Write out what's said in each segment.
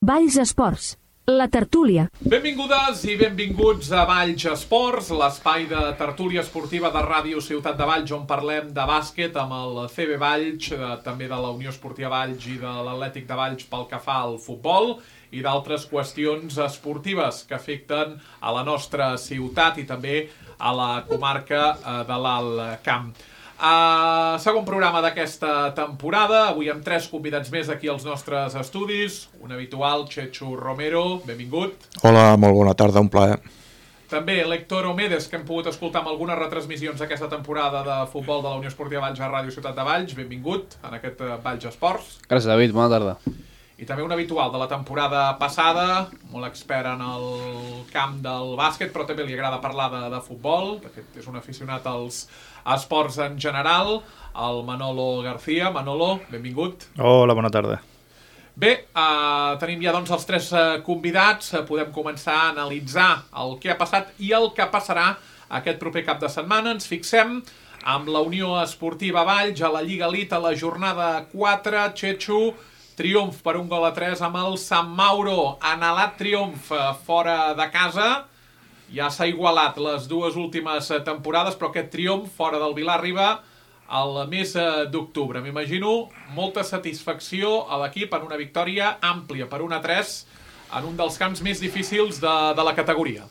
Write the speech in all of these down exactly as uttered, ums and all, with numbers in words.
Valls Esports, la tertúlia. Benvingudes i benvinguts a Valls Esports, l'espai de tertúlia esportiva de Ràdio Ciutat de Valls, on parlem de bàsquet amb el C B Valls, també de la Unió Esportiva Valls i de l'Atlètic de Valls pel que fa al futbol i d'altres qüestions esportives que afecten a la nostra ciutat i també a la comarca de l'Alt Camp. Uh, segon programa d'aquesta temporada, avui amb tres convidats més aquí als nostres estudis. Un habitual, Chechu Romero, benvingut. Hola, molt bona tarda, un plaer. També l'Héctor Omedes, que hem pogut escoltar amb algunes retransmissions d'aquesta temporada de futbol de la Unió Esportiva Valls a Ràdio Ciutat de Valls. Benvingut en aquest Valls Esports. Gràcies, David, bona tarda. I també un habitual de la temporada passada, molt expert en el camp del bàsquet, però també li agrada parlar de, de futbol. De fet, és un aficionat als esports en general, el Manolo García. Manolo, benvingut. Hola, bona tarda. Bé, eh, tenim ja doncs els tres eh, convidats. Eh, podem començar a analitzar el que ha passat i el que passarà aquest proper cap de setmana. Ens fixem amb la Unió Esportiva Valls a la Lliga Elite a la jornada quatre. Chechu, triomf per un gol a tres amb el Sant Mauro. Anhelat triomf eh, fora de casa. Ja s'ha igualat les dues últimes temporades, però aquest triomf fora del Vilar arriba al mes d'octubre. M'imagino molta satisfacció a l'equip en una victòria àmplia per un a tres en un dels camps més difícils de, de la categoria.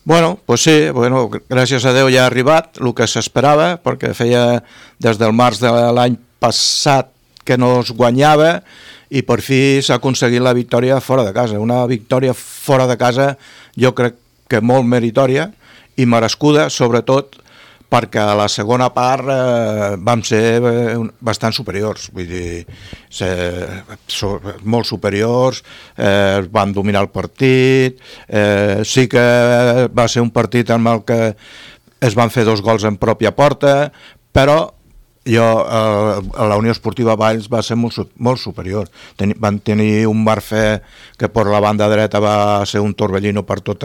Bueno, pues sí, bueno, gràcies a Déu ja ha arribat el que s'esperava, perquè feia des del març de l'any passat que no es guanyava i per fi s'ha aconseguit la victòria fora de casa. Una victòria fora de casa jo crec que molt meritòria i merescuda, sobretot perquè a la segona part eh, vam ser eh, bastant superiors, vull dir, ser, so, molt superiors, eh, van dominar el partit, eh, sí que va ser un partit en el que es van fer dos gols en pròpia porta, però jo, eh, la Unió Esportiva Valls va ser molt, molt superior. Ten, van tenir un Barfé que per la banda dreta va ser un torbellino per tot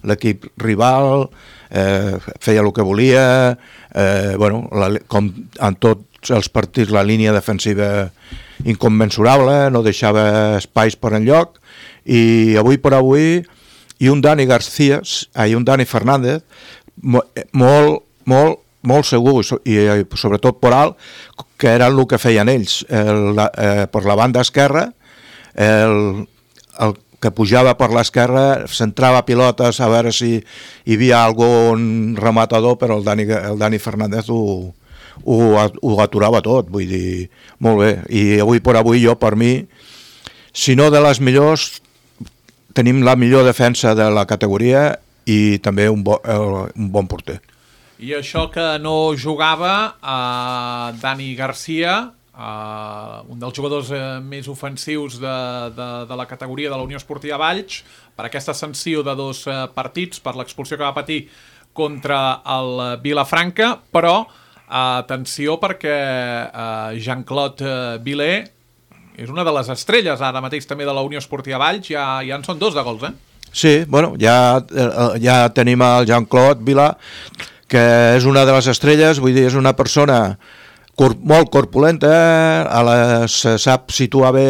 l'equip rival, eh, feia el que volia, eh, bueno, la, com en tots els partits la línia defensiva inconmensurable, no deixava espais per enlloc, i avui per avui, i un Dani García, i un Dani Fernández, molt, molt, molt segur, i sobretot per alt, que era el que feien ells. El, eh, per la banda esquerra, el, el que pujava per l'esquerra centrava pilotes a veure si hi havia algun rematador, però el Dani, el Dani Fernández ho, ho, ho aturava tot, vull dir, molt bé. I avui per avui jo, per mi, si no de les millors, tenim la millor defensa de la categoria i també un, bo, un bon porter. I això que no jugava eh, Dani García, eh, un dels jugadors eh, més ofensius de, de, de la categoria de la Unió Esportiva Valls, per aquesta sanció de dos eh, partits, per l'expulsió que va patir contra el Vilafranca, però eh, atenció perquè eh, Jean-Claude Vilé és una de les estrelles ara mateix també de la Unió Esportiva Valls, ja, ja en són dos de gols, eh? Sí, bueno, ja, ja tenim el Jean-Claude Vilé, que és una de les estrelles, vull dir, és una persona cor molt corpulenta, a la, se sap situar bé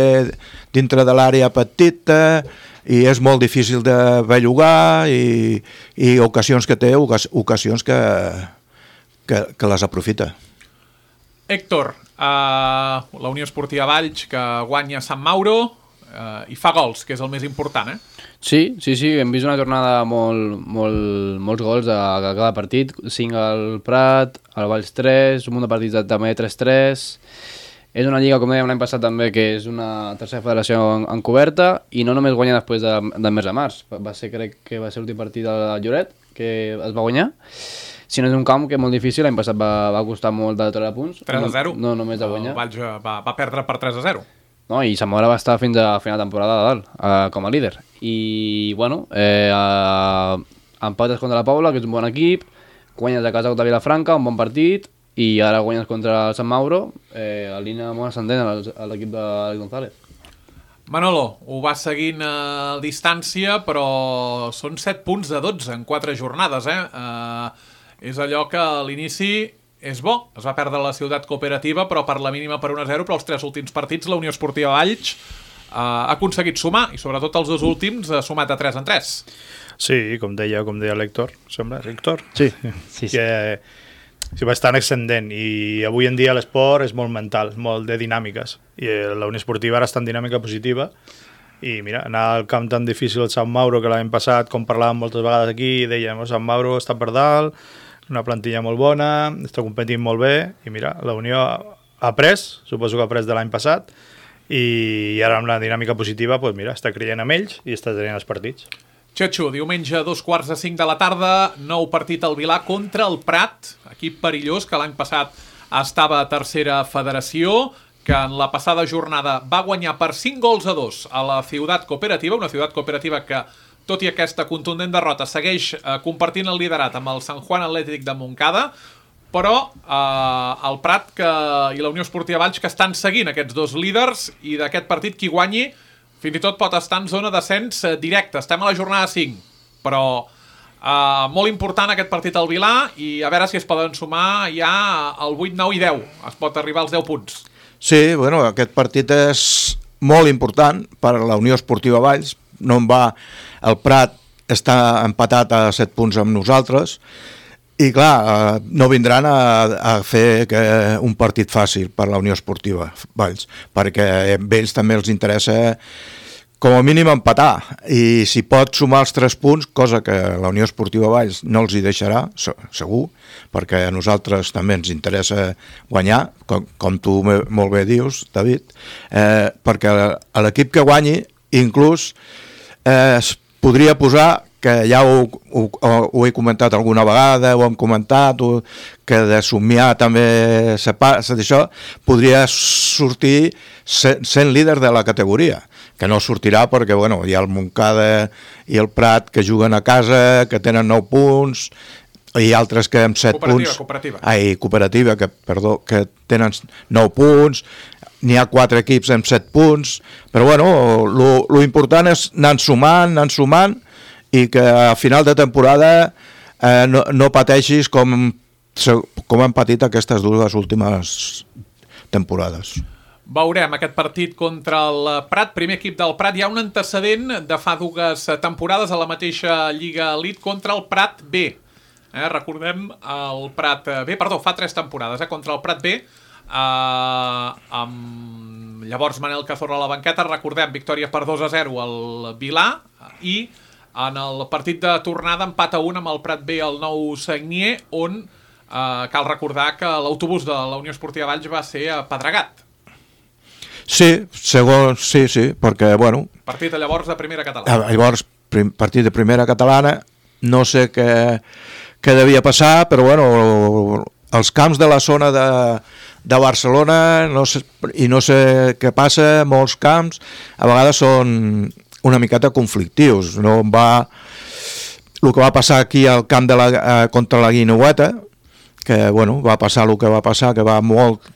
dintre de l'àrea petita i és molt difícil de bellugar i, i ocasions que té, ocasions que, que, que les aprofita. Héctor, uh, la Unió Esportiva Valls que guanya Sant Mauro uh, i fa gols, que és el més important, eh? Sí, sí, sí, hem vist una jornada molt, molt, molts gols a, a cada partit, cinc al Prat, al Valls tres, un munt de partits també tres tres. És una lliga, com dèiem l'any passat també, que és una tercera federació encoberta i no només guanya després de, del mes de març, va ser, crec que va ser l'últim partit del Lloret que es va guanyar, sinó és un camp que és molt difícil, l'any passat va, va costar molt de treure punts. tres a zero? No, no només de guanyar. El Valls va, va perdre per tres a zero. No, i Sant Mauro va estar fins a final de temporada de dalt, eh, com a líder. I, bueno, eh, eh, empates contra la Paula, que és un bon equip, guanyes a casa contra Vilafranca, un bon partit, i ara guanyes contra el Sant Mauro, eh, a línia molt ascendent a l'equip d'Àlex González. Manolo, ho va seguint a distància, però són set punts de dotze en quatre jornades, eh? eh és allò que a l'inici és bo, es va perdre la Ciutat Cooperativa, però per la mínima per un a zero, però els tres últims partits la Unió Esportiva Valls ha aconseguit sumar, i sobretot els dos últims ha sumat de tres en tres. Sí, com deia, com deia l'Héctor, sembla, Héctor? Sí, sí, sí. Que sí, bastant ascendent, i avui en dia l'esport és molt mental, molt de dinàmiques, i la Unió Esportiva ara està en dinàmica positiva, i mira, anar al camp tan difícil el Sant Mauro, que l'any passat, com parlàvem moltes vegades aquí, dèiem, el Sant Mauro està per dalt, una plantilla molt bona, està competint molt bé, i mira, la Unió ha après, suposo que ha après de l'any passat, i ara amb la dinàmica positiva, doncs mira, està creient amb ells i està tenint els partits. Xetxo, diumenge a dos quarts de cinc de la tarda, nou partit al Vilà contra el Prat, equip perillós que l'any passat estava a tercera federació, que en la passada jornada va guanyar per cinc gols a dos a la Ciutat Cooperativa, una Ciutat Cooperativa que, tot i aquesta contundent derrota, segueix eh, compartint el liderat amb el Sant Juan Atlètic de Montcada, però eh, el Prat que, i la Unió Esportiva Valls que estan seguint aquests dos líders, i d'aquest partit qui guanyi fins i tot pot estar en zona d'ascens directe. Estem a la jornada cinc, però eh, molt important aquest partit al Vilà, i a veure si es poden sumar ja el vuit, nou i deu. Es pot arribar als deu punts. Sí, bueno, aquest partit és molt important per a la Unió Esportiva Valls. No en va, el Prat està empatat a set punts amb nosaltres, i clar, no vindran a, a fer que un partit fàcil per la Unió Esportiva Valls, perquè a ells també els interessa com a mínim empatar, i si pot sumar els tres punts, cosa que la Unió Esportiva Valls no els hi deixarà, segur, perquè a nosaltres també ens interessa guanyar, com, com tu molt bé dius, David, eh, perquè l'equip que guanyi, inclús eh, es podria posar, que ja ho, ho, ho he comentat alguna vegada, ho hem comentat, ho, que de somiar també se passa d'això, podria sortir sent, sent líder de la categoria, que no sortirà perquè bueno, hi ha el Montcada i el Prat que juguen a casa, que tenen nou punts, i altres que amb set cooperativa, punts... Cooperativa, ai, cooperativa, que, perdó, que tenen nou punts, n'hi ha quatre equips amb set punts, però bueno, lo, lo important és anar sumant, anar sumant, i que a final de temporada eh, no, no pateixis com, com han patit aquestes dues últimes temporades. Veurem aquest partit contra el Prat, primer equip del Prat. Hi ha un antecedent de fa dues temporades a la mateixa Lliga Elite contra el Prat B. Eh, recordem el Prat B, perdó, fa tres temporades, eh, contra el Prat B, eh, amb llavors Manel Cazorla a la banqueta. Recordem, victòria per dos a zero al Vilà, i en el partit de tornada empat a un amb el Prat B al Nou Sagnier, on eh, cal recordar que l'autobús de la Unió Esportiva Valls va ser apedregat. Sí, segons, sí, sí, perquè, bueno... Partit llavors de primera catalana. Llavors, prim, partit de primera catalana, no sé què, què devia passar, però, bueno, els camps de la zona de, de Barcelona, no sé, i no sé què passa, molts camps, a vegades són una miqueta conflictius. No va... El que va passar aquí al camp de la, eh, contra la Guineueta, que, bueno, va passar el que va passar, que va molt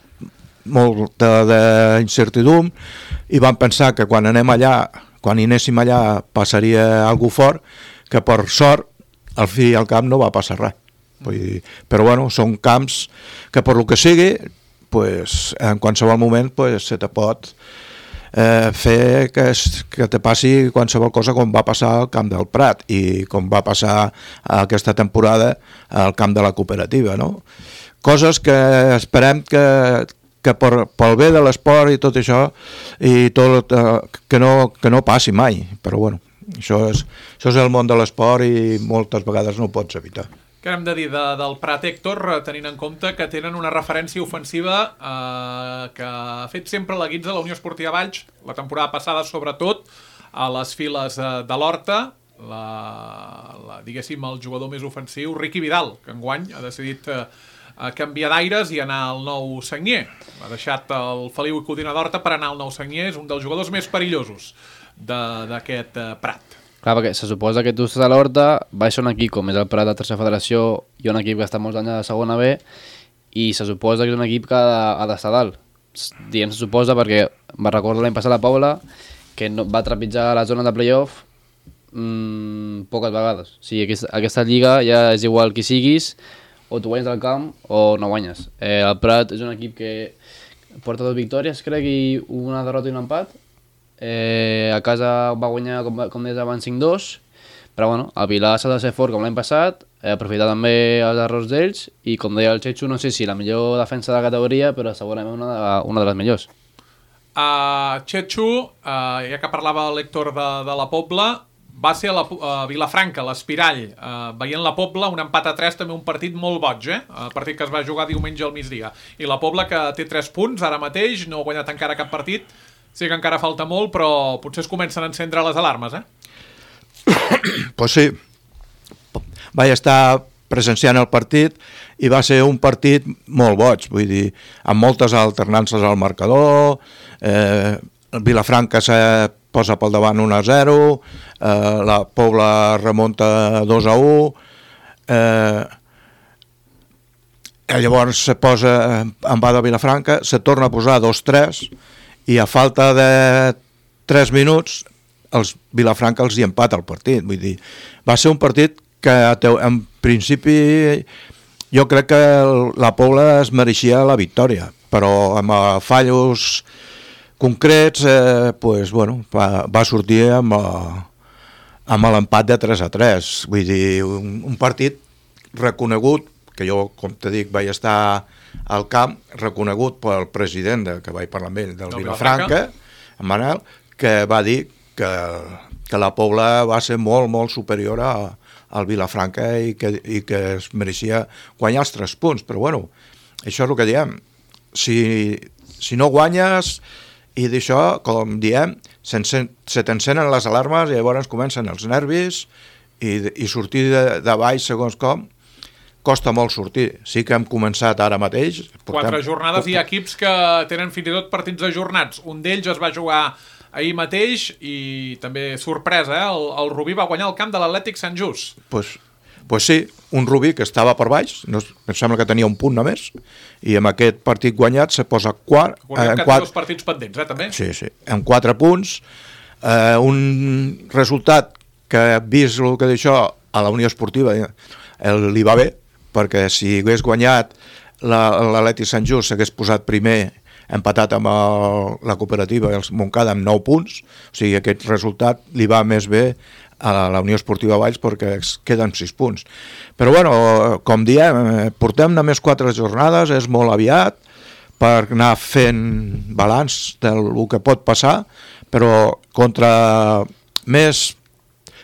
molt d'incertidum, i vam pensar que quan anem allà, quan hi anéssim allà passaria algú fort, que per sort al fi i al camp no va passar res. Vull dir, però bueno, són camps que per lo que sigui, pues, en qualsevol moment pues, se te pot eh, fer que, es, que te passi qualsevol cosa, com va passar al camp del Prat i com va passar aquesta temporada al camp de la Cooperativa, no? Coses que esperem que que per, pel bé de l'esport i tot això, i tot, eh, que, no, que no passi mai, però bueno, això és, això és el món de l'esport i moltes vegades no ho pots evitar. Què hem de dir de, del Prat, Héctor, tenint en compte que tenen una referència ofensiva eh, que ha fet sempre la guitza de la Unió Esportiva Valls, la temporada passada sobretot, a les files eh, de l'Horta, la, la, diguéssim el jugador més ofensiu, Riqui Vidal, que enguany ha decidit eh, a canviar d'aires i anar al Nou Sagnier. Ha deixat el Feliu i Codina d'Horta per anar al Nou Sagnier, és un dels jugadors més perillosos d'aquest uh, Prat. Clar, perquè se suposa que tu estàs a l'Horta, baix un equip com és el Prat de tercera federació i un equip que està molts anys a la segona B, i se suposa que és un equip que ha d'estar dalt. Diem se suposa perquè me recordo l'any passat la Paula, que no, va trepitjar la zona de playoff mmm, poques vegades. O sigui, aquesta, aquesta lliga ja és igual qui siguis, o tu guanyes del camp o no guanyes. Eh, el Prat és un equip que porta dues victòries, crec, i una derrota i un empat. eh, a casa va guanyar, com, com deies abans, cinc dos, però bueno, el Vilar s'ha de ser fort com l'any passat, eh, aprofitar també els errors d'ells, i com deia el Chechu, no sé si la millor defensa de la categoria, però segurament una de, una de les millors. Uh, Chechu, uh, ja que parlava l'Héctor de, de la Pobla, va ser a, la, a Vilafranca, l'Espirall, eh, veient la Pobla, un empat a tres, també un partit molt boig, eh? El partit que es va jugar diumenge al migdia. I la Pobla, que té tres punts ara mateix, no ha guanyat encara cap partit, sí que encara falta molt, però potser es comencen a encendre les alarmes, eh? Pues sí, vaig estar presenciant el partit i va ser un partit molt boig, vull dir, amb moltes alternances al marcador, eh, Vilafranca se posa pel davant un a zero, eh, la Pobla remunta dos a u, eh, llavors se posa en va de Vilafranca, se torna a posar dos tres i a falta de tres minuts els Vilafranca els hi empata el partit. Vull dir, va ser un partit que en principi jo crec que la Pobla es mereixia la victòria, però amb fallos concrets eh, pues, bueno, va, va sortir amb, a, amb l'empat de tres a tres. Vull dir, un, un partit reconegut, que jo, com te dic, vaig estar al camp, reconegut pel president de, que vaig parlar amb ell, del no, Vilafranca, en Manel, que va dir que, que la Pobla va ser molt, molt superior a, al Vilafranca i que, i que es mereixia guanyar els tres punts. Però bueno, això és el que diem. Si, si no guanyes i d'això, com diem, se, se t'encenen les alarmes i llavors comencen els nervis i, i sortir de, de baix segons com costa molt sortir. Sí que hem començat ara mateix. Portem, Quatre jornades portem... i equips que tenen fins i tot partits ajornats. Un d'ells es va jugar ahir mateix i també sorpresa, eh? el, el Rubí va guanyar el camp de l'Atlètic Sant Just. Pues, pues sí, un Rubí que estava per baix, no, em sembla que tenia un punt només, i amb aquest partit guanyat se posa quart. Recordem eh, que quatre... té dos partits pendents, eh, també? Sí, sí, amb quatre punts. Eh, un resultat que, vist el que d'això, a la Unió Esportiva el, li va bé, perquè si hagués guanyat l'Atlètic Sant Just s'hagués posat primer empatat amb el, la cooperativa el Montcada amb nou punts, o sigui aquest resultat li va més bé a la Unió Esportiva Valls perquè es queden sis punts. Però bueno, com diem, portem només quatre jornades, és molt aviat per anar fent balanç del que pot passar, però contra més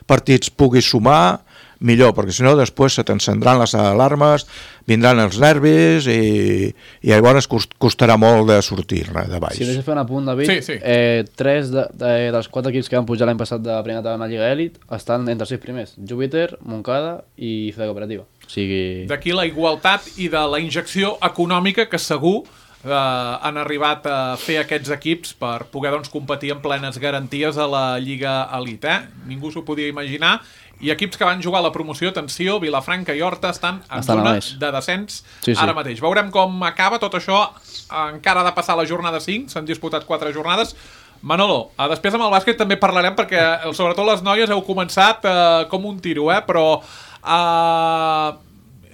partits puguis sumar, millor, perquè si no després se t'encendran les alarmes, vindran els nervis i, i llavors costarà molt de sortir de baix. Si deixes fer un apunt, David, sí, sí. Eh, tres de, de, dels quatre equips que van pujar l'any passat de primera taula en la Lliga Elit estan entre els sis primers, Júpiter, Montcada i Ciutat Cooperativa. O sigui... D'aquí la igualtat i de la injecció econòmica que segur eh, han arribat a fer aquests equips per poder doncs, competir en plenes garanties a la Lliga Elit. Eh? Ningú s'ho podia imaginar. I equips que van jugar a la promoció, atenció, Vilafranca i Horta estan en estan zona de descens sí, sí. ara mateix. Veurem com acaba tot això, encara ha de passar la jornada cinc, s'han disputat quatre jornades. Manolo, després amb el bàsquet també parlarem perquè sobretot les noies heu començat eh, com un tiro, eh? Però eh,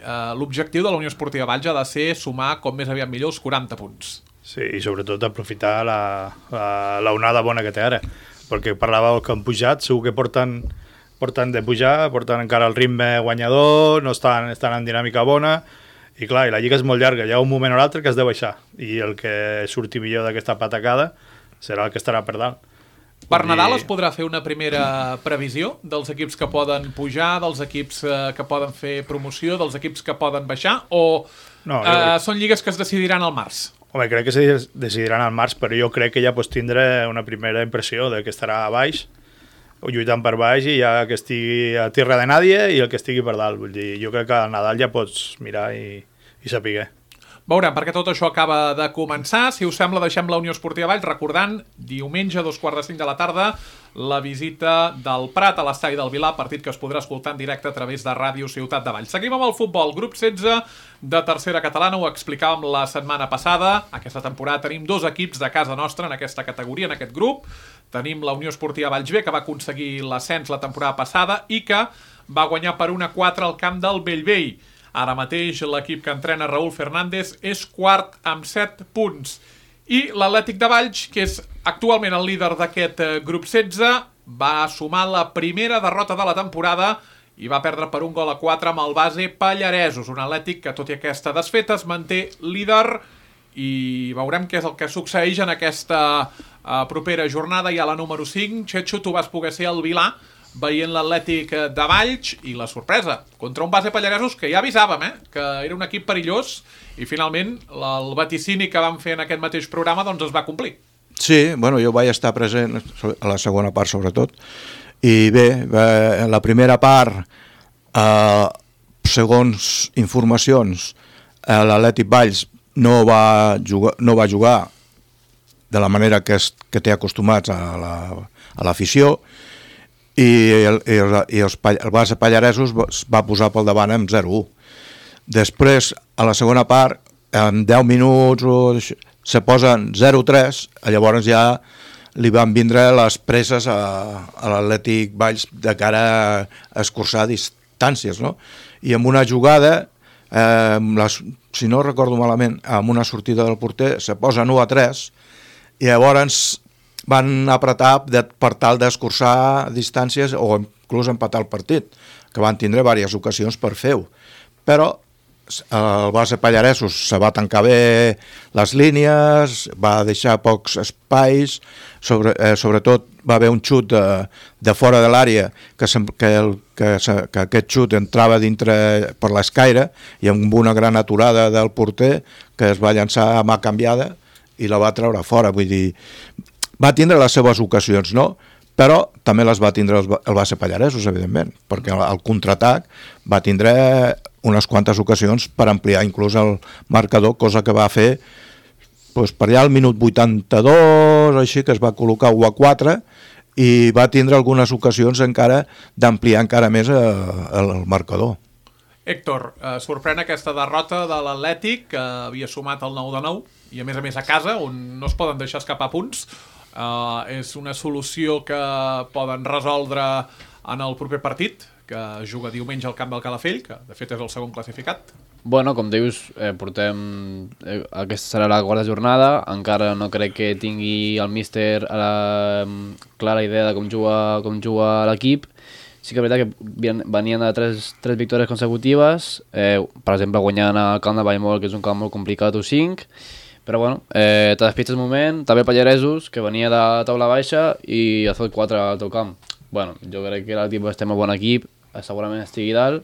eh, l'objectiu de la Unió Esportiva Valls ha de ser sumar com més aviat millor els quaranta punts. Sí, i sobretot aprofitar la, la, la onada bona que té ara, perquè parlàveu que han pujat, segur que porten porten de pujar, porten encara el ritme guanyador, no estan, estan en dinàmica bona, i clar, i la lliga és molt llarga, hi ha un moment o l'altre que has de baixar, i el que surti millor d'aquesta patacada serà el que estarà per dalt. Per Nadal es podrà fer una primera previsió dels equips que poden pujar, dels equips que poden fer promoció, dels equips que poden baixar, o no, eh, crec... són lligues que es decidiran al març? Home, crec que se decidiran al març, però jo crec que ja pots tindre una primera impressió de que estarà a baix, o lluitant per baix i ja que estigui a tierra de nadie i el que estigui per dalt. Vull dir, jo crec que al Nadal ja pots mirar i, i saber. Veurem, perquè tot això acaba de començar. Si us sembla, deixem la Unió Esportiva Valls recordant, diumenge, dos quarts de cinc de la tarda, la visita del Prat a l'estadi del Vilar, partit que es podrà escoltar en directe a través de Ràdio Ciutat de Valls. Seguim amb el futbol. Grup setze de tercera catalana, ho explicàvem la setmana passada. Aquesta temporada tenim dos equips de casa nostra en aquesta categoria, en aquest grup. Tenim la Unió Esportiva Valls B, que va aconseguir l'ascens la temporada passada i que va guanyar per un a quatre al camp del Bellvei. Ara mateix l'equip que entrena Raúl Fernández és quart amb set punts. I l'Atlètic de Valls, que és Actualment el líder d'aquest grup setze va sumar la primera derrota de la temporada i va perdre per un gol a quatre amb el base Pallaresos, un Atlètic que tot i aquesta desfeta es manté líder i veurem què és el que succeeix en aquesta uh, propera jornada. Ja la número cinc, Xetxo, tu vas poder ser al Vilà veient l'Atlètic de Valls i la sorpresa, contra un base Pallaresos que ja avisàvem, eh, que era un equip perillós i finalment el vaticini que vam fer en aquest mateix programa doncs es va complir. Sí, bueno, jo vaig estar present a la segona part sobretot i bé, en la primera part eh, segons informacions eh, l'Atlètic Valls no va jugar, no va jugar de la manera que, es, que té acostumats a la, a l'afició i, el, i, el, i els, el base Pallaresos va posar pel davant amb zero a u. Després, a la segona part, en deu minuts se posen zero a tres, llavors ja li van vindre les presses a, a l'Atlètic Valls de cara a escurçar distàncies, no? I amb una jugada, eh, les, si no recordo malament, amb una sortida del porter, se posen u a tres i llavors van apretar de, per tal d'escurçar distàncies o inclús empatar el partit, que van tindre diverses ocasions per fer-ho. Però el base Pallaresos se va tancar bé les línies, va deixar pocs espais, sobre, eh, sobretot va haver un xut de, de fora de l'àrea, que, que, el, que, que aquest xut entrava dintre per l'escaire i amb una gran aturada del porter que es va llançar a mà canviada i la va treure fora, vull dir, va tindre les seves ocasions, no? Però també les va tindre el base Pallaresos, evidentment, perquè el contraatac va tindre unes quantes ocasions per ampliar inclús el marcador, cosa que va fer doncs, per allà al minut vuitanta-dos, així que es va col·locar u a quatre i va tindre algunes ocasions encara d'ampliar encara més el, el marcador. Héctor, eh, sorprèn aquesta derrota de l'Atlètic, que havia sumat el nou de nou, i a més a més a casa, on no es poden deixar escapar punts. Uh, és una solució que poden resoldre en el proper partit, que juga diumenge al camp del Calafell, que de fet és el segon classificat. Bueno, com dius, eh, portem... Eh, aquesta serà la quarta jornada, encara no crec que tingui el míster a la clara idea de com juga, com juga l'equip. Sí que és veritat que venien de tres, tres victòries consecutives, eh, per exemple guanyant al camp de Vallmol, que és un camp molt complicat, u cinc, però bueno, eh, te despitges un moment, també Pallaresos, que venia de taula baixa i ha fet quatre al teu camp. Bueno, jo crec que l'equip estem a bon equip, segurament estigui dalt,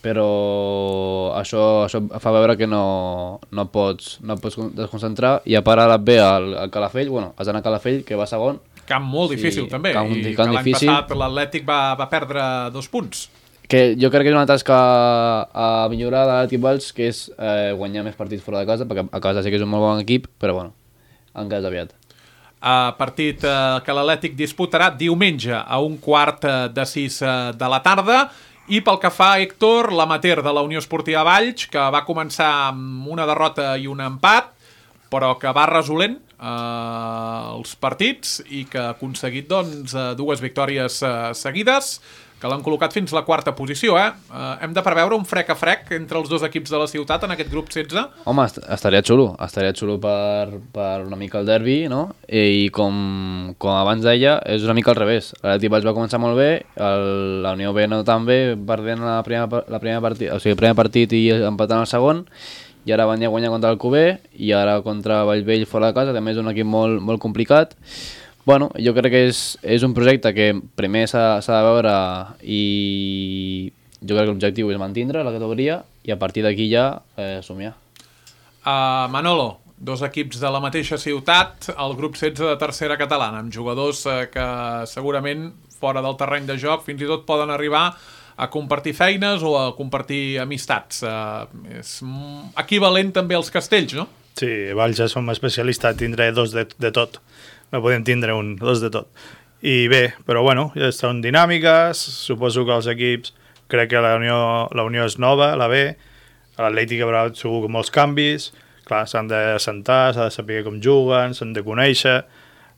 però això, això fa veure que no, no, pots, no pots desconcentrar i a part ara ve al, al Calafell, bueno, has d'anar a Calafell, que va segon. Camp molt difícil, sí, també, camp, i camp que l'any difícil. Passat l'Atlètic va, va perdre dos punts. Que jo crec que és una tasca a millorar de l'Atlètic Valls, que és eh, guanyar més partits fora de casa, perquè a casa sí que és un molt bon equip, però bueno, encara és aviat. Uh, partit uh, que l'Atlètic disputarà diumenge a un quart uh, de sis uh, de la tarda. I pel que fa a Héctor, l'amateur de la Unió Esportiva Valls, que va començar amb una derrota i un empat, però que va resolent uh, els partits i que ha aconseguit doncs, uh, dues victòries uh, seguides, que l'han col·locat fins a la quarta posició, eh? Uh, hem de preveure un frec a frec entre els dos equips de la ciutat en aquest grup setze? Home, est estaria xulo, estaria xulo per, per una mica el derbi, no? I com, com abans deia, és una mica al revés. L'Atlètic Valls va començar molt bé, el, la Unió B no tan bé, perdent la primera, la primera partit, o sigui, el primer partit i empatant el segon, i ara van a guanyar contra el Cuber, i ara contra Vallvell fora de casa, també és un equip molt, molt complicat. Bueno, jo crec que és, és un projecte que primer s'ha de veure i jo crec que l'objectiu és mantindre la categoria i a partir d'aquí ja eh, somiar. Uh, Manolo, dos equips de la mateixa ciutat, el grup setze de tercera catalana, amb jugadors uh, que segurament fora del terreny de joc fins i tot poden arribar a compartir feines o a compartir amistats. Uh, és equivalent també als castells, no? Sí, Valls ja som especialistes a tindre dos de, de tot. No podem tindre un, dos de tot. I bé, però bueno, ja estan dinàmiques, suposo que els equips, crec que la Unió, la Unió és nova, la B, l'Atlètic haurà segur molts canvis, clar, s'han de sentar, s'ha de saber com juguen, s'han de conèixer,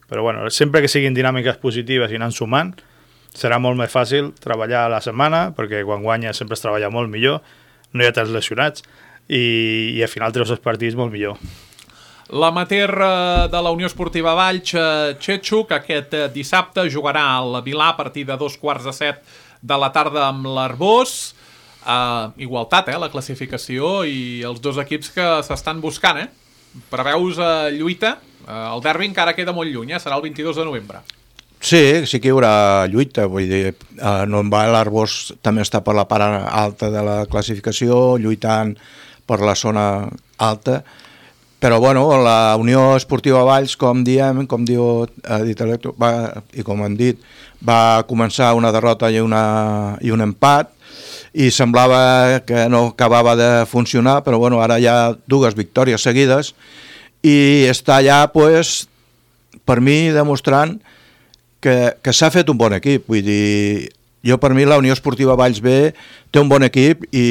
però bueno, sempre que siguin dinàmiques positives i anant sumant, serà molt més fàcil treballar a la setmana, perquè quan guanyes sempre es treballa molt millor, no hi ha tants lesionats, i, i al final treus els partits molt millor. L'amater de la Unió Esportiva Valls, Txetxo, que aquest dissabte jugarà al Vilà a partir de dos quarts de set de la tarda amb l'Arbós. Uh, igualtat, eh, la classificació i els dos equips que s'estan buscant, eh? Preveus uh, lluita? Uh, el derbi encara queda molt lluny, eh? Serà el vint-i-dos de novembre. Sí, sí que hi haurà lluita, vull dir, uh, no va, l'Arbós també està per la part alta de la classificació, lluitant per la zona alta, però bueno, la Unió Esportiva Valls, com diem, com diu ha dit Electro, va, i com hem dit, va començar una derrota i, una, i un empat, i semblava que no acabava de funcionar, però bueno, ara hi ha dues victòries seguides i està allà, pues, per mi, demostrant que, que s'ha fet un bon equip. Vull dir, jo per mi la Unió Esportiva Valls B té un bon equip i,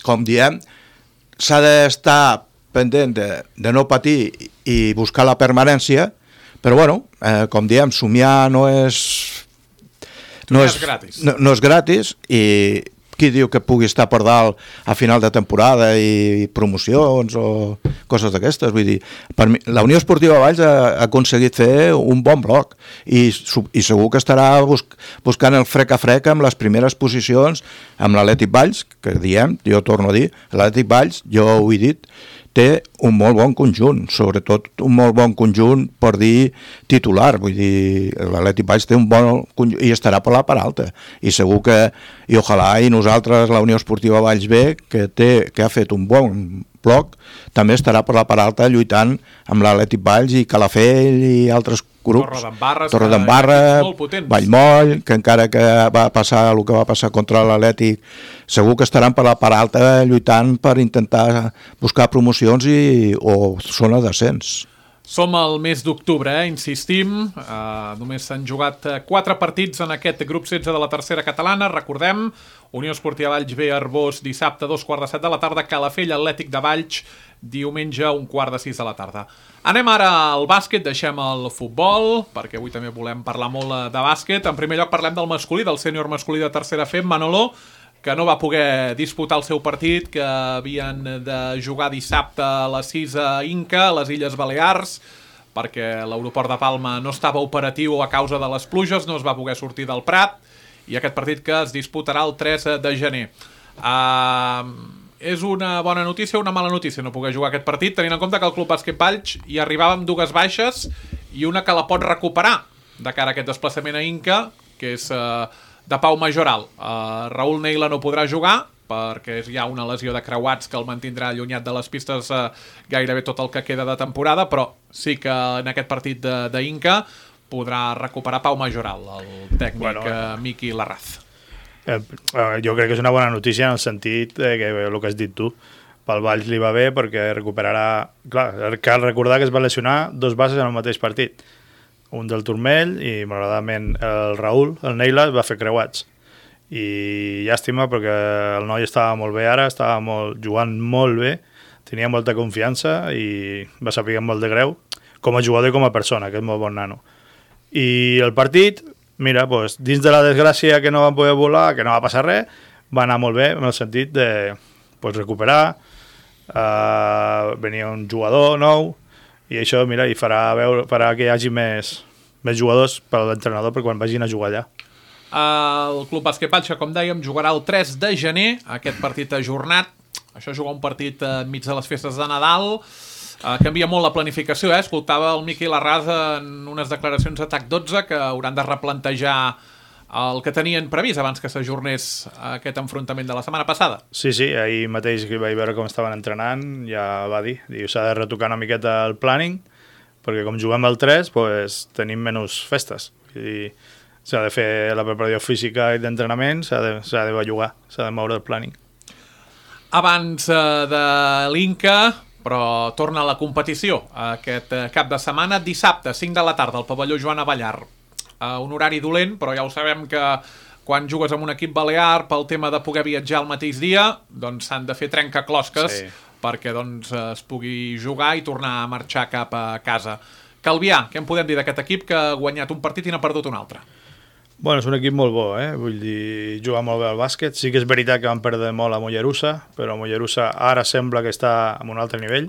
com diem, s'ha d'estar pendent de, de no patir i buscar la permanència, però bueno, eh, com diem, somiar no és... No és gratis. No, no és gratis i qui diu que pugui estar per dalt a final de temporada i promocions o coses d'aquestes. Vull dir, per mi, la Unió Esportiva Valls ha, ha aconseguit fer un bon bloc i, i segur que estarà bus, buscant el frec a frec amb les primeres posicions amb l'Atlètic Valls, que diem, jo torno a dir, l'Atlètic Valls, jo ho he dit, té un molt bon conjunt, sobretot un molt bon conjunt per dir titular, vull dir, l'Atlètic Valls té un bon conjunt i estarà per la part alta, i segur que, i ojalà, i nosaltres, la Unió Esportiva Valls B, que, té, que ha fet un bon bloc, també estarà per la part alta lluitant amb l'Atlètic Valls i Calafell i altres grups. Torredembarra, Torredembarra, Vallmoll, que encara que va passar el que va passar contra l'Atlètic, segur que estaran per la part alta lluitant per intentar buscar promocions i, o zona d'ascens. Som al mes d'octubre, eh? Insistim, uh, només s'han jugat quatre partits en aquest grup setze de la tercera catalana, recordem, Unió Esportiva Valls B, Arbós, dissabte, dos quarts de set de la tarda, Calafell, Atlètic de Valls, diumenge, un quart de sis de la tarda. Anem ara al bàsquet, deixem el futbol, perquè avui també volem parlar molt de bàsquet. En primer lloc parlem del masculí, del sènior masculí de tercera F, Manolo, que no va poder disputar el seu partit, que havien de jugar dissabte a les sis a Inca, a les Illes Balears, perquè l'aeroport de Palma no estava operatiu a causa de les pluges, no es va poder sortir del Prat, i aquest partit que es disputarà el tres de gener. Uh, és una bona notícia o una mala notícia no poder jugar aquest partit, tenint en compte que el Club Bàsquet Valls hi arribava amb dues baixes i una que la pot recuperar de cara a aquest desplaçament a Inca, que és uh, de Pau Majoral. Uh, Raül Neila no podrà jugar perquè hi ha una lesió de creuats que el mantindrà allunyat de les pistes uh, gairebé tot el que queda de temporada, però sí que en aquest partit d'Inca podrà recuperar Pau Majoral, el tècnic bueno, uh, Miqui Larraz. Eh, jo crec que és una bona notícia en el sentit de que el que has dit tu, pel Valls li va bé perquè recuperarà... Clar, cal recordar que es va lesionar dos bases en el mateix partit, un del turmell i malauradament el Raül, el Neila, va fer creuats. I llàstima perquè el noi estava molt bé ara, estava molt, jugant molt bé, tenia molta confiança i va saber molt de greu com a jugador i com a persona, que és molt bon nano. I el partit, mira, doncs, dins de la desgràcia que no van poder volar, que no va passar res, va anar molt bé en el sentit de pues, recuperar, uh, venia un jugador nou, i això, mira, i farà, veure, farà que hi hagi més, més jugadors per a l'entrenador per quan vagin a jugar allà. El Club Bàsquet Valls, com dèiem, jugarà el tres de gener, aquest partit ajornat. Això jugar un partit enmig de les festes de Nadal. Uh, canvia molt la planificació, eh? Escoltava el Miqui Larraz en unes declaracions a T A C dotze que hauran de replantejar el que tenien previst abans que s'ajornés aquest enfrontament de la setmana passada. Sí, sí, ahir mateix que vaig veure com estaven entrenant, ja va dir, diu, s'ha de retocar una miqueta el planning, perquè com juguem al tres, pues, tenim menys festes. I s'ha de fer la preparació física i d'entrenament, s'ha de, s'ha de bellugar, s'ha de moure el planning. Abans uh, de l'Inca, però torna a la competició aquest cap de setmana, dissabte, cinc de la tarda, al pavelló Joan Avellar. Uh, un horari dolent, però ja ho sabem que quan jugues amb un equip balear, pel tema de poder viatjar el mateix dia, doncs s'han de fer trencaclosques sí. perquè doncs, es pugui jugar i tornar a marxar cap a casa. Calvià, què en podem dir d'aquest equip que ha guanyat un partit i n'ha perdut un altre? Bueno, és un equip molt bo, eh? Vull dir, juga molt bé al bàsquet. Sí que és veritat que van perdre molt a Mollerussa, però Mollerussa ara sembla que està en un altre nivell.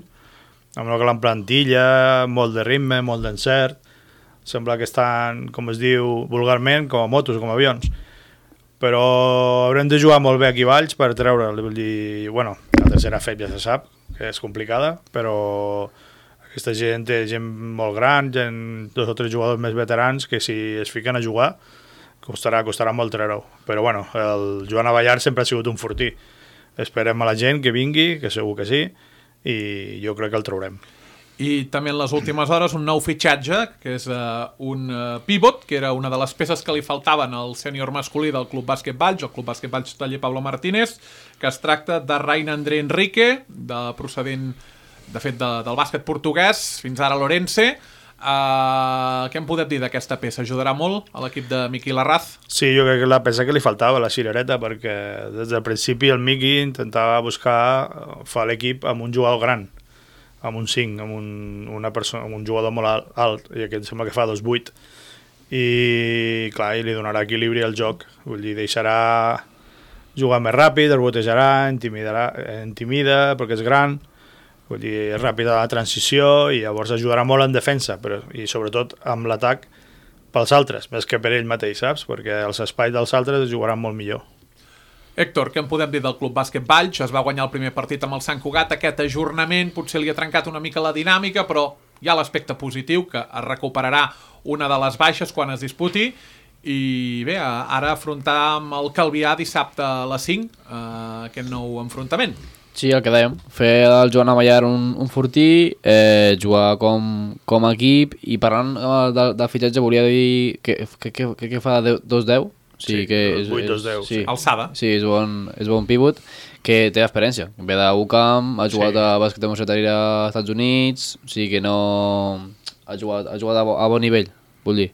amb una gran plantilla, molt de ritme, molt d'encert, sembla que estan, com es diu vulgarment, com a motos, com a avions. Però haurem de jugar molt bé aquí a Valls per treure'l, vull dir, bueno, la tercera F E P ja se sap que és complicada, però aquesta gent té gent molt gran, gent, dos o tres jugadors més veterans que si es fiquen a jugar costarà, costarà molt treure-ho. Però bueno, el Joan Avellar sempre ha sigut un fortí. Esperem a la gent que vingui, que segur que sí, i jo crec que el traurem. I també en les últimes hores un nou fitxatge, que és uh, un uh, pivot, que era una de les peces que li faltaven al sènior masculí del Club Bàsquet Valls, el Club Bàsquet Valls Taller Pablo Martínez, que es tracta de Rain André Enrique, de procedent, de fet, de, del bàsquet portuguès, fins ara l'Orense. Uh, què em podem dir d'aquesta peça? Ajudarà molt a l'equip de Miqui Larraz? Sí, jo crec que la peça que li faltava, la cirereta, perquè des del principi el Miqui intentava buscar fer l'equip amb un jugador gran, amb un cinc, amb un, una persona, amb un jugador molt alt, alt, i aquest sembla que fa dos vuit, i clar, i li donarà equilibri al joc, vull dir, deixarà jugar més ràpid, el botejarà, intimidarà, intimida perquè és gran, vull dir, és ràpida la transició i llavors ajudarà molt en defensa, però, i sobretot amb l'atac pels altres, més que per ell mateix, saps? Perquè els espais dels altres es jugaran molt millor. Héctor, què en podem dir del Club Bàsquet Valls? Es va guanyar el primer partit amb el Sant Cugat, aquest ajornament potser li ha trencat una mica la dinàmica, però hi ha l'aspecte positiu, que es recuperarà una de les baixes quan es disputi, i bé, ara afrontar amb el Calvià dissabte a les cinc eh, aquest nou enfrontament. Sí, el que dèiem, fer el Joan Avellar un, un fortí, eh, jugar com, com a equip, i parlant eh, de, de fitxatge volia dir que, que, que, que, que fa dos deu. Sí, sí, que és, vuit dos deu. Sí. Alçada. Sí, és bon, és bon pivot, que té experiència. Ve d'U C A M, ha jugat sí. a bàsquet de Universitari als Estats Units, o sigui que no... Ha jugat, ha jugat a, bo, a bon nivell, vull dir.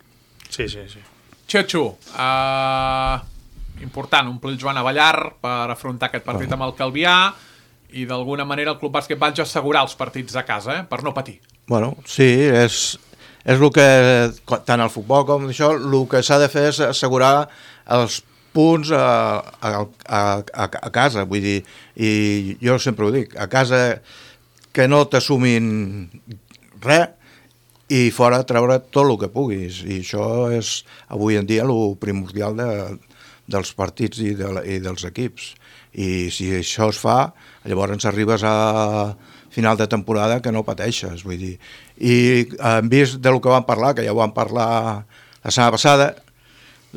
Sí, sí, sí. Xetxo, uh, important, omplir el Joan Avellar per afrontar aquest partit oh. amb el Calvià, i d'alguna manera el Club Bàsquet Valls assegurar els partits a casa, eh, per no patir. Bueno, sí, és... És el que, tant al futbol com això, el que s'ha de fer és assegurar els punts a, a, a, a casa, vull dir, i jo sempre ho dic, a casa que no t'assumin res i fora treure tot el que puguis, i això és avui en dia el primordial de, dels partits i, de, i dels equips, i si això es fa, llavors ens arribes a final de temporada que no pateixes, vull dir. I en vist del que vam parlar, que ja ho vam parlar la setmana passada,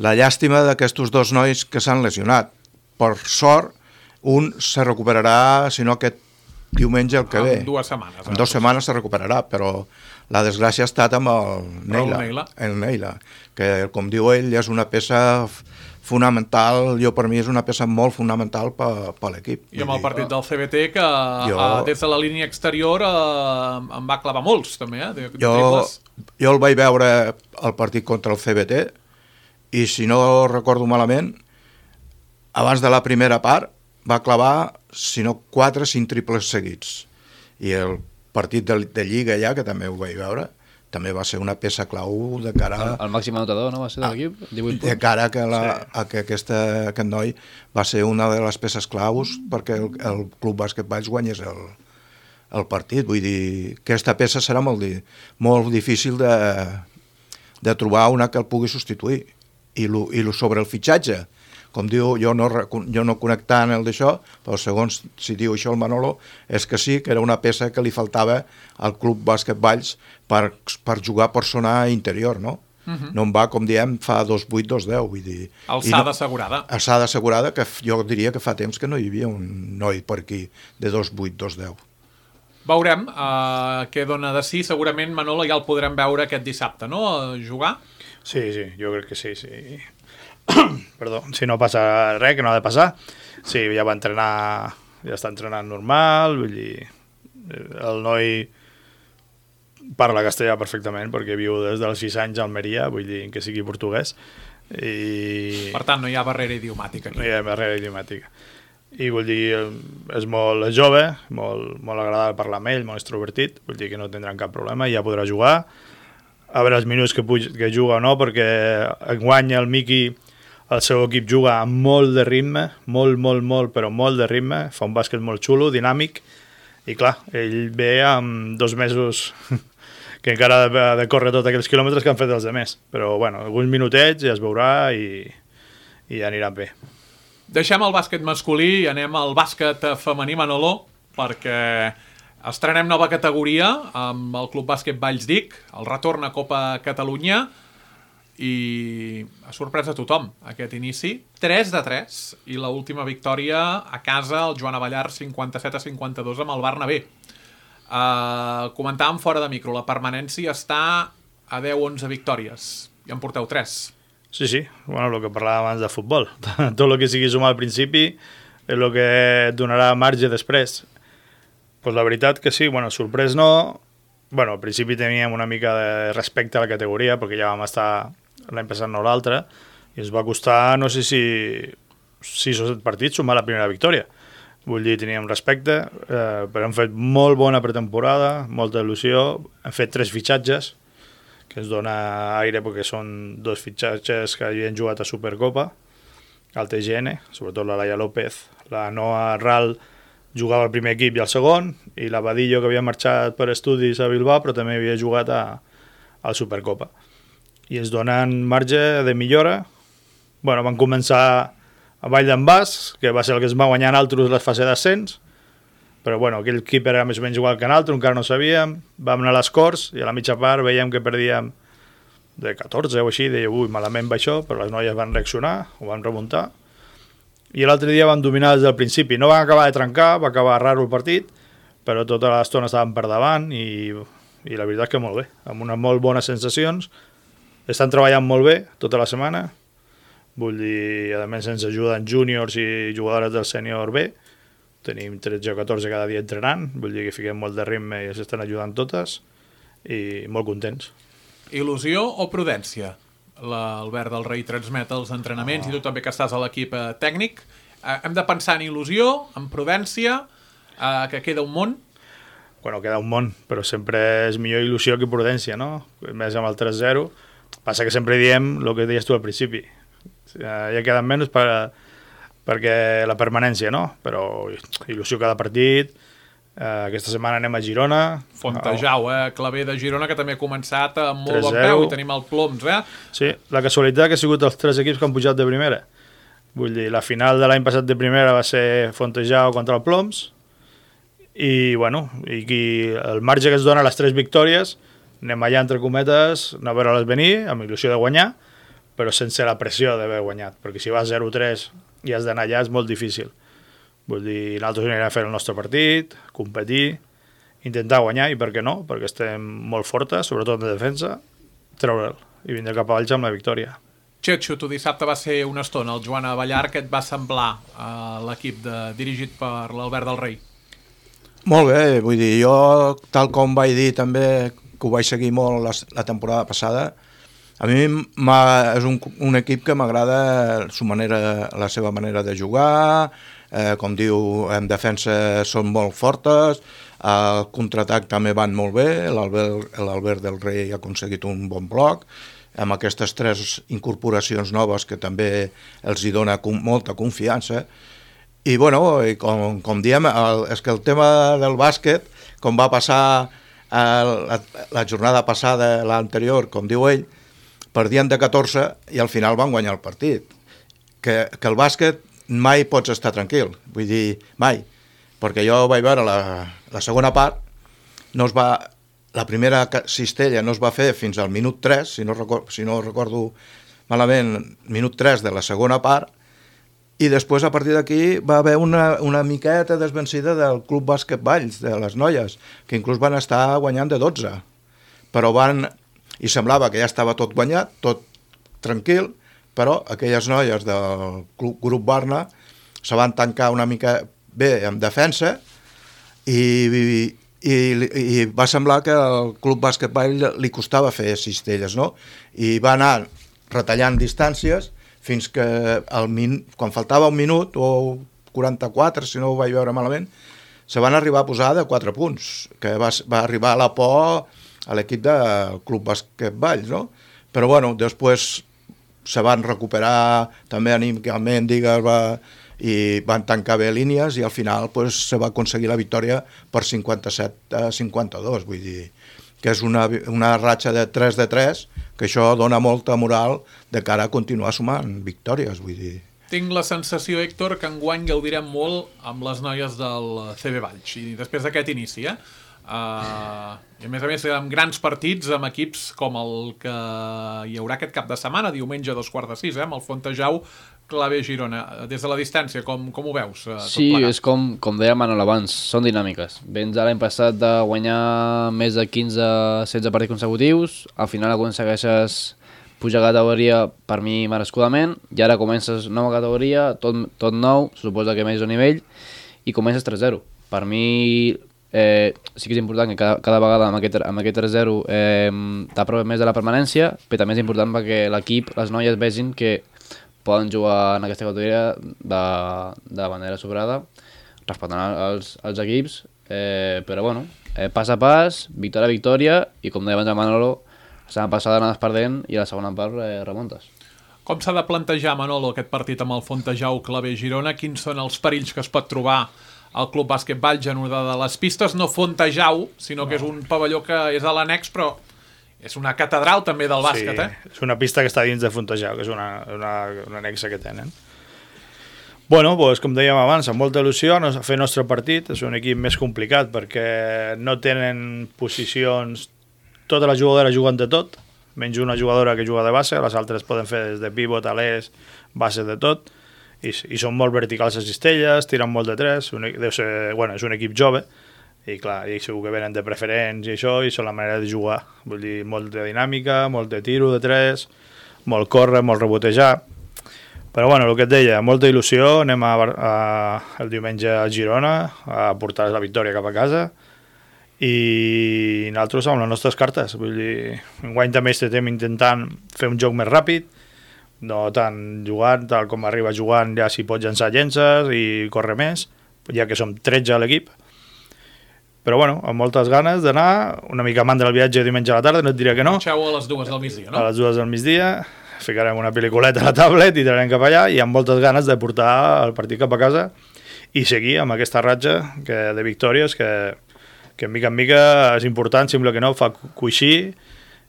la llàstima d'aquests dos nois que s'han lesionat. Per sort, un se recuperarà, si no aquest diumenge el que ve. En dues setmanes. En dues setmanes se recuperarà, però la desgràcia ha estat amb el Neila, el Neila. el Neila, que com diu ell és una peça fonamental, jo per mi és una peça molt fonamental per, per l'equip. I amb el partit del C B T que jo, uh, des de la línia exterior uh, em va clavar molts també, eh, de, de jo, jo el vaig veure el partit contra el C B T i si no recordo malament, abans de la primera part va clavar, si no quatre o cinc triples seguits, i el partit de, de Lliga ja, que també ho vaig veure, també va ser una peça clau de cara... El, el màxim anotador, no? Va ser de l'equip? divuit punts. De cara que la, sí. a que aquesta, aquest noi va ser una de les peces claus perquè el, el Club Bàsquet Valls guanyés el, el partit. Vull dir, aquesta peça serà molt, di, molt difícil de, de trobar una que el pugui substituir. I, lo, i lo sobre el fitxatge, com diu, jo no, jo no connectant el d'això, però segons si diu això el Manolo, és que sí, que era una peça que li faltava al Club Bàsquet Valls per, per jugar per zona interior, no? Uh-huh. No en va, com diem, fa dos vuit dos deu, vull dir... Alçada no, assegurada. Alçada assegurada, que jo diria que fa temps que no hi havia un noi per aquí de dos vuit dos deu. Veurem uh, què dona de sí, segurament Manolo ja el podrem veure aquest dissabte, no?, jugar? Sí, sí, jo crec que sí, sí. Perdó, si no passa res, que no ha de passar. Sí, ja va entrenar, ja està entrenant normal, vull dir, el noi parla castellà perfectament perquè viu des dels sis anys a Almeria, vull dir, que sigui portuguès. I... Per tant, no hi ha barrera idiomàtica aquí. No hi ha barrera idiomàtica. I vull dir, és molt jove, molt, molt agradable parlar amb ell, molt extrovertit, vull dir que no tindran cap problema i ja podrà jugar. A veure els minuts que, puig, que juga o no, perquè enguany el Miqui, el seu equip juga amb molt de ritme, molt, molt, molt, però molt de ritme, fa un bàsquet molt xulo, dinàmic, I clar, ell ve amb dos mesos que encara ha de, de córrer tots aquells quilòmetres que han fet els demés. Però, bueno, alguns minutets ja es veurà i, i ja aniran bé. Deixem el bàsquet masculí i anem al bàsquet femení, Manolo, perquè estrenem nova categoria amb el Club Bàsquet Vallsdic, el retorn a Copa Catalunya, i ha sorprès a tothom aquest inici. tres de tres, i l'última victòria a casa, el Joan Avellar, cinquanta-set a cinquanta-dos amb el Barnabé. Uh, comentàvem fora de micro, la permanència està a deu onze victòries, i en porteu tres. Sí, sí, bueno, el que parlàvem abans de futbol. Tot el que sigui sumar al principi és el que et donarà marge després. Pues la veritat que sí, bueno, sorprès no. Bueno, al principi teníem una mica de respecte a la categoria, perquè ja vam estar l'any passat no l'altre, i ens va costar, no sé si sis o set partits, sumar la primera victòria. Vull dir, teníem respecte, eh, però hem fet molt bona pretemporada, molta il·lusió, hem fet tres fitxatges, que ens dona aire perquè són dos fitxatges que havien jugat a Supercopa, al T G N, sobretot la Laia López, la Noa Ral jugava al primer equip i al segon, i la Badillo, que havia marxat per estudis a Bilbao, però també havia jugat a, a Supercopa. I ens donen marge de millora. Bueno, van començar a Vall d'en Bas, que va ser el que es va guanyar en altres les fases d'ascens, però bueno, aquell equip era més o menys igual que en altre, encara no sabíem, vam anar a les Corts i a la mitja part veiem que perdíem de catorze o així, deia, ui, malament va això, però les noies van reaccionar, ho van remuntar, i l'altre dia van dominar des del principi. No van acabar de trencar, va acabar raro el partit, però tota l'estona estaven per davant i, i la veritat que molt bé, amb unes molt bones sensacions. Estan treballant molt bé tota la setmana, vull dir, a més ens ajuden júniors i jugadores del sènior B, tenim tretze o catorze cada dia entrenant, vull dir que fiquem molt de ritme i s'estan ajudant totes, i molt contents. Il·lusió o prudència? L'Albert del Rei transmet els entrenaments, oh. i tu també que estàs a l'equip eh, tècnic. Eh, hem de pensar en il·lusió, en prudència, eh, que queda un món? Bueno, queda un món, però sempre és millor il·lusió que prudència, no? Més amb el tres zero. Passa que sempre diem el que deies tu al principi. Ja queden menys per, perquè la permanència, no? Però il·lusió cada partit. Eh, aquesta setmana anem a Girona. Fontejau, eh? Claver de Girona, que també ha començat amb molt bon peu, i tenim el Ploms, eh? Sí, la casualitat que ha sigut els tres equips que han pujat de primera. Vull dir, la final de l'any passat de primera va ser Fontejau contra el Ploms, i, bueno, i el marge que es dona a les tres victòries, anem allà, entre cometes, a veure-les venir, amb il·lusió de guanyar, però sense la pressió d'haver guanyat, perquè si vas zero tres i has d'anar allà és molt difícil. Vull dir, nosaltres anirem a fer el nostre partit, competir, intentar guanyar, i per què no? Perquè estem molt fortes, sobretot en defensa, treure'l i vindre cap a Valls amb la victòria. Xetxo, tu dissabte va ser una estona el Joan Avellar, que et va semblar a l'equip de, dirigit per l'Albert del Rei? Molt bé, vull dir, jo, tal com vaig dir també, que ho vaig seguir molt la, la temporada passada, a mi és un, un equip que m'agrada la seva manera de jugar, eh, com diu, en defensa són molt fortes, al contraatac també van molt bé, l'Albert del Rei ha aconseguit un bon bloc, amb aquestes tres incorporacions noves que també els hi dona com, molta confiança. I, bueno, i com, com diem, el, és que el tema del bàsquet, com va passar la, la jornada passada, l'anterior, com diu ell, perdien de catorze i al final van guanyar el partit. Que, que el bàsquet mai pots estar tranquil, vull dir, mai, perquè jo vaig veure la, la segona part, no es va, la primera cistella no es va fer fins al minut tres, si no recordo, si no recordo malament, minut tres de la segona part, i després, a partir d'aquí, va haver una, una miqueta desvencida del Club Bàsquet Valls, de les noies, que inclús van estar guanyant de dotze. Però van... I semblava que ja estava tot guanyat, tot tranquil, però aquelles noies del Club, grup Barna se van tancar una mica bé en defensa i, i, i va semblar que al Club Bàsquet Valls li costava fer cistelles, no? I va anar retallant distàncies fins que el min... quan faltava un minut o quaranta-quatre, si no ho vaig veure malament, se van arribar a posar de quatre punts, que va, va arribar a la por a l'equip del Club Bàsquet Valls, no? Però, bueno, després se van recuperar també anímicament, digues, va, i van tancar bé línies i al final pues, se va aconseguir la victòria per cinquanta-set a cinquanta-dos, vull dir que és una, una ratxa de tres de tres, que això dona molta moral de cara a continuar sumant victòries, vull dir. Tinc la sensació, Héctor, que enguany gaudirem molt amb les noies del C B Valls, i després d'aquest inici, eh? Uh, i a més a més amb grans partits amb equips com el que hi haurà aquest cap de setmana, diumenge a dos quarts de sis, eh? Amb el Fontejau Clavé Girona. Des de la distància, com, com ho veus? Uh, sí, és com, com deia Manol abans, són dinàmiques. Vens l'any passat de guanyar més de quinze setze partits consecutius, al final aconsegueixes pujar categoria per mi merescudament, i ara comences nova categoria, tot, tot nou, suposa que més un nivell, i comences tres zero. Per mi eh, sí que és important que cada, cada vegada amb aquest, amb aquest tres zero eh, t'aproves més de la permanència, però també és important perquè l'equip, les noies vegin que poden jugar en aquesta categoria de, de manera sobrada, respectant els, els equips, eh, però bueno, eh, pas a pas, victòria a victòria, i com deia abans el Manolo, la setmana passada anaves perdent i a la segona part eh, remuntes. Com s'ha de plantejar, Manolo, aquest partit amb el Fontejau Clavé Girona? Quins són els perills que es pot trobar al Club Bàsquet Valls en una de les pistes? No Fontejau, sinó que és un pavelló que és a l'annex, però és una catedral també del bàsquet, sí, eh? És una pista que està dins de Fontejau, que és una, una, una anexa que tenen. Bueno, doncs, com dèiem abans, amb molta il·lusió a fer el nostre partit. És un equip més complicat perquè no tenen posicions. Totes les jugadores juguen de tot, menys una jugadora que juga de base, les altres poden fer des de pivot, alers, base de tot, i, i són molt verticals a cistelles, tiren molt de tres, un, deu ser, bueno, és un equip jove, i clar, i segur que venen de preferents i això, i són la manera de jugar. Vull dir, molt de dinàmica, molt de tiro de tres, molt córrer, molt rebotejar. Però bueno, el que et deia, molta il·lusió, anem a, a, el diumenge a Girona a portar la victòria cap a casa, i nosaltres amb les nostres cartes, vull dir, enguany també estem intentant fer un joc més ràpid, no tant jugant, tal com arriba jugant, ja si pots llançar llences i córrer més, ja que som tretze a l'equip, però bueno, amb moltes ganes d'anar, una mica mandra el viatge diumenge a la tarda, no et diré que no. Marxeu a les dues del migdia, no? A les dues del migdia, ficarem una pel·lículeta a la tablet i tirarem cap allà, i amb moltes ganes de portar el partit cap a casa i seguir amb aquesta ratxa que, de victòries que que mica en mica és important, sembla que no, fa coixir,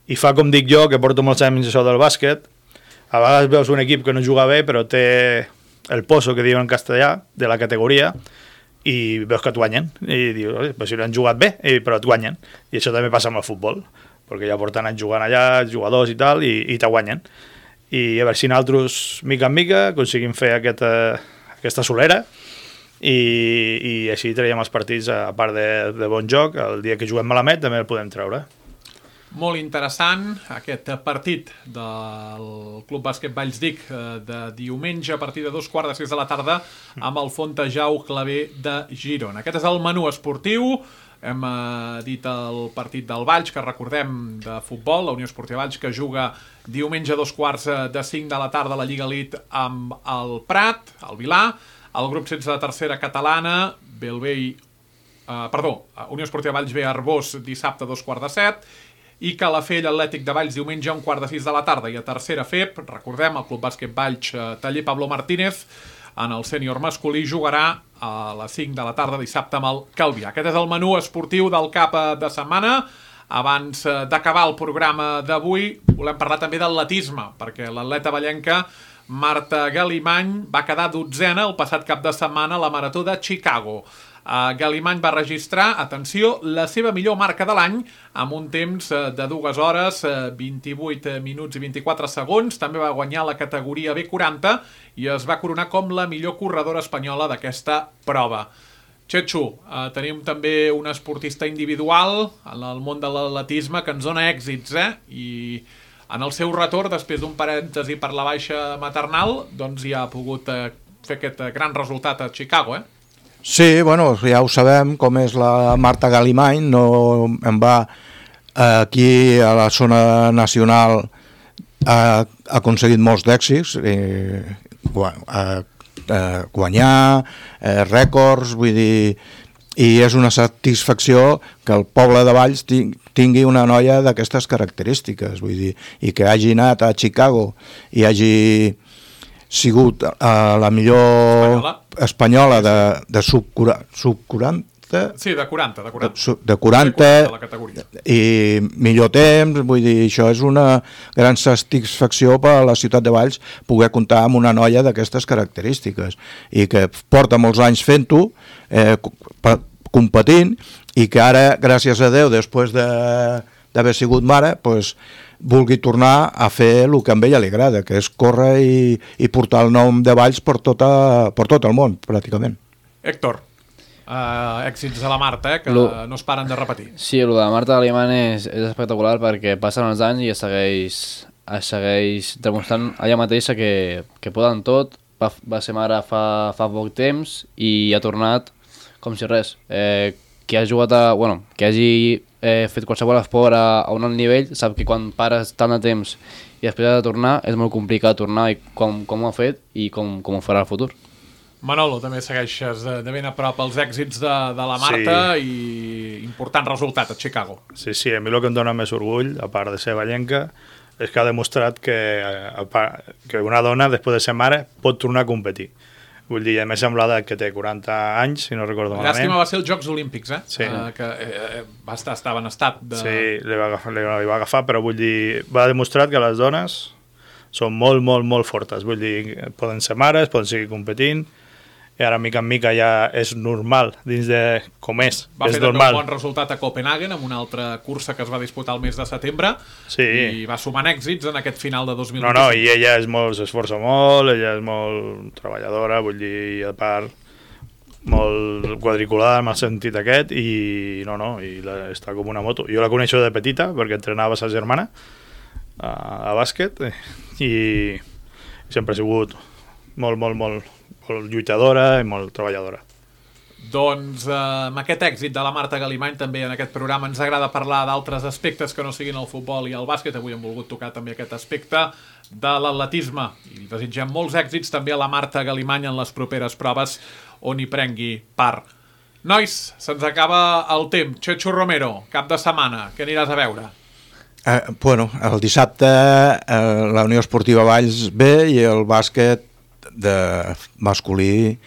i fa com dic jo, que porto molts anys això del bàsquet, a vegades veus un equip que no juga bé, però té el pozo, que diuen en castellà, de la categoria, i veus que et guanyen, i dius, però si no han jugat bé, però et guanyen, i això també passa amb el futbol, perquè ja porten anys jugant allà, jugadors i tal, i, i te guanyen. I a veure si nosaltres, mica en mica, aconseguim fer aquesta, aquesta solera, I, i així traiem els partits, a part de, de bon joc, el dia que juguem malament també el podem treure. Molt interessant aquest partit del Club Bàsquet Valls Dic de diumenge a partir de dos quarts de sis de la tarda amb el Fontejau Clavé de Girona. Aquest és el menú esportiu. Hem eh, dit el partit del Valls, que recordem, de futbol, la Unió Esportiva Valls, que juga diumenge a dos quarts de cinc de la tarda a la Lliga Elite amb el Prat, el Vilà. El grup setze de tercera catalana, Belvei, eh, perdó, Unió Esportiva Valls B Arbós dissabte a dos quarts de set, i Calafell Atlètic de Valls diumenge a un quart de sis de la tarda. I a tercera F E P, recordem, el Club Bàsquet Valls eh, Taller Pablo Martínez, en el sènior masculí, jugarà a les cinc de la tarda dissabte amb el Calvià. Aquest és el menú esportiu del cap de setmana. Abans d'acabar el programa d'avui, volem parlar també d'atletisme, perquè l'atleta vallenca Marta Galimany va quedar dotzena el passat cap de setmana a la Marató de Chicago. Uh, Galimany va registrar, atenció, la seva millor marca de l'any amb un temps uh, de dues hores, uh, vint-i-vuit minuts i vint-i-quatre segons. També va guanyar la categoria B quaranta i es va coronar com la millor corredora espanyola d'aquesta prova. Txetxo, uh, tenim també un esportista individual en el món de l'atletisme que ens dona èxits, eh? I en el seu retorn, després d'un parèntesi per la baixa maternal, doncs ja ha pogut eh, fer aquest gran resultat a Chicago, eh? Sí, bueno, ja ho sabem, com és la Marta Galimany, no en va aquí a la zona nacional, ha aconseguit molts d'èxits, eh, guanyar, eh, rècords, vull dir, i és una satisfacció que el poble de Valls tingui una noia d'aquestes característiques, vull dir, i que hagi anat a Chicago i hagi sigut uh, la millor Espanyola, espanyola de, de sub, sub quaranta, sí, de quaranta, de quaranta, de, de quaranta de la categoria. I millor temps, vull dir, això és una gran satisfacció per a la ciutat de Valls poder comptar amb una noia d'aquestes característiques i que porta molts anys fent-ho, eh, competint, i que ara, gràcies a Déu, després d'haver sigut mare, pues, vulgui tornar a fer el que a ella li agrada, que és córrer i, i portar el nom de Valls per, tota, per tot el món, pràcticament. Héctor, uh, èxits de la Marta, eh, que Lo... no es paren de repetir. Sí, el de la Marta Alemany és, és espectacular perquè passen els anys i es segueix, es segueix demostrant allà mateixa que, que poden tot. Va, va ser mare fa, fa poc temps i ha tornat com si res. Eh, qui ha jugat a... Bueno, qui hagi eh, fet qualsevol esport a, a un alt nivell sap que quan pares tant de temps i després ha de tornar és molt complicat tornar i com, com ho ha fet i com, com ho farà al futur. Manolo, també segueixes de, de ben a prop els èxits de, de la Marta, sí. I important resultat a Chicago. Sí, sí, a mi el que em dona més orgull, a part de ser vallenca, és que ha demostrat que, a part, que una dona, després de ser mare, pot tornar a competir. Vull dir, a més amb l'edat que té quaranta anys, si no recordo malament. Llàstima va ser els Jocs Olímpics, eh? Sí. Uh, que eh, va estar, estava en estat de... Sí, li va, agafar, li, li va agafar, però vull dir, va demostrar que les dones són molt, molt, molt fortes. Vull dir, poden ser mares, poden seguir competint, i ara mica en mica ja és normal dins de com és. Va és fer també normal. un bon resultat a Copenhagen amb una altra cursa que es va disputar el mes de setembre, sí. I va sumant èxits en aquest final de dos mil No, vint-i-cinc. no, i ella és molt, s'esforça molt, ella és molt treballadora, vull dir, i a part molt quadriculada en el sentit aquest, i no, no, i la, està com una moto. Jo la coneixo de petita perquè entrenava sa germana a, a bàsquet i sempre ha sigut molt, molt, molt molt lluitadora i molt treballadora. Doncs eh, amb aquest èxit de la Marta Galimany també en aquest programa ens agrada parlar d'altres aspectes que no siguin el futbol i el bàsquet. Avui hem volgut tocar també aquest aspecte de l'atletisme i desitgem molts èxits també a la Marta Galimany en les properes proves on hi prengui part. Nois, se'ns acaba el temps. Chechu Romero, cap de setmana, què aniràs a veure? Eh, bueno, el dissabte eh, la Unió Esportiva Valls B i el bàsquet de masculí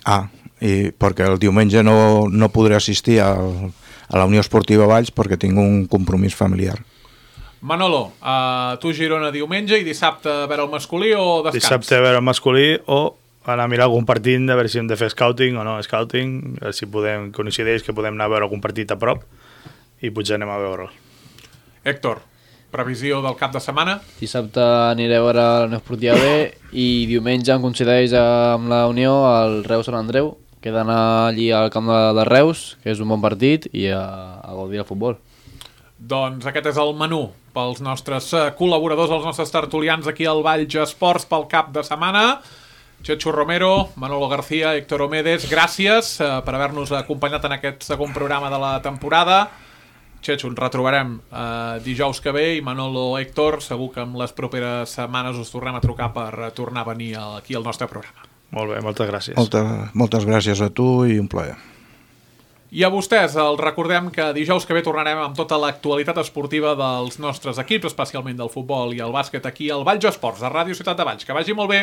A, i perquè el diumenge no, no podré assistir al, a la Unió Esportiva Valls perquè tinc un compromís familiar. Manolo, uh, tu Girona diumenge i dissabte a veure el masculí o descans? Dissabte a veure el masculí o anar a mirar algun partit a veure si hem de fer scouting o no scouting, a veure si podem, coincideix que podem anar a veure algun partit a prop i potser anem a veure'l. Héctor, previsió del cap de setmana? Dissabte aniré a veure la Unió Esportiva B i diumenge em coincideix amb la Unió al Reus Sant Andreu, que he d'anar allí al camp de, de Reus, que és un bon partit, i a, a gaudir del futbol. Doncs aquest és el menú pels nostres col·laboradors, els nostres tertulians aquí al Valls Esports pel cap de setmana. Chechu Romero, Manolo García, Héctor Omedes, gràcies eh, per haver-nos acompanyat en aquest segon programa de la temporada. Chechu, ens retrobarem eh, dijous que ve i Manolo, Héctor, segur que en les properes setmanes us tornem a trucar per tornar a venir aquí al nostre programa. Molt bé, moltes gràcies. Moltes, moltes gràcies a tu i un plaer. I a vostès, els recordem que dijous que ve tornarem amb tota l'actualitat esportiva dels nostres equips, especialment del futbol i el bàsquet aquí al Valls Esports, a Ràdio Ciutat de Valls. Que vagi molt bé!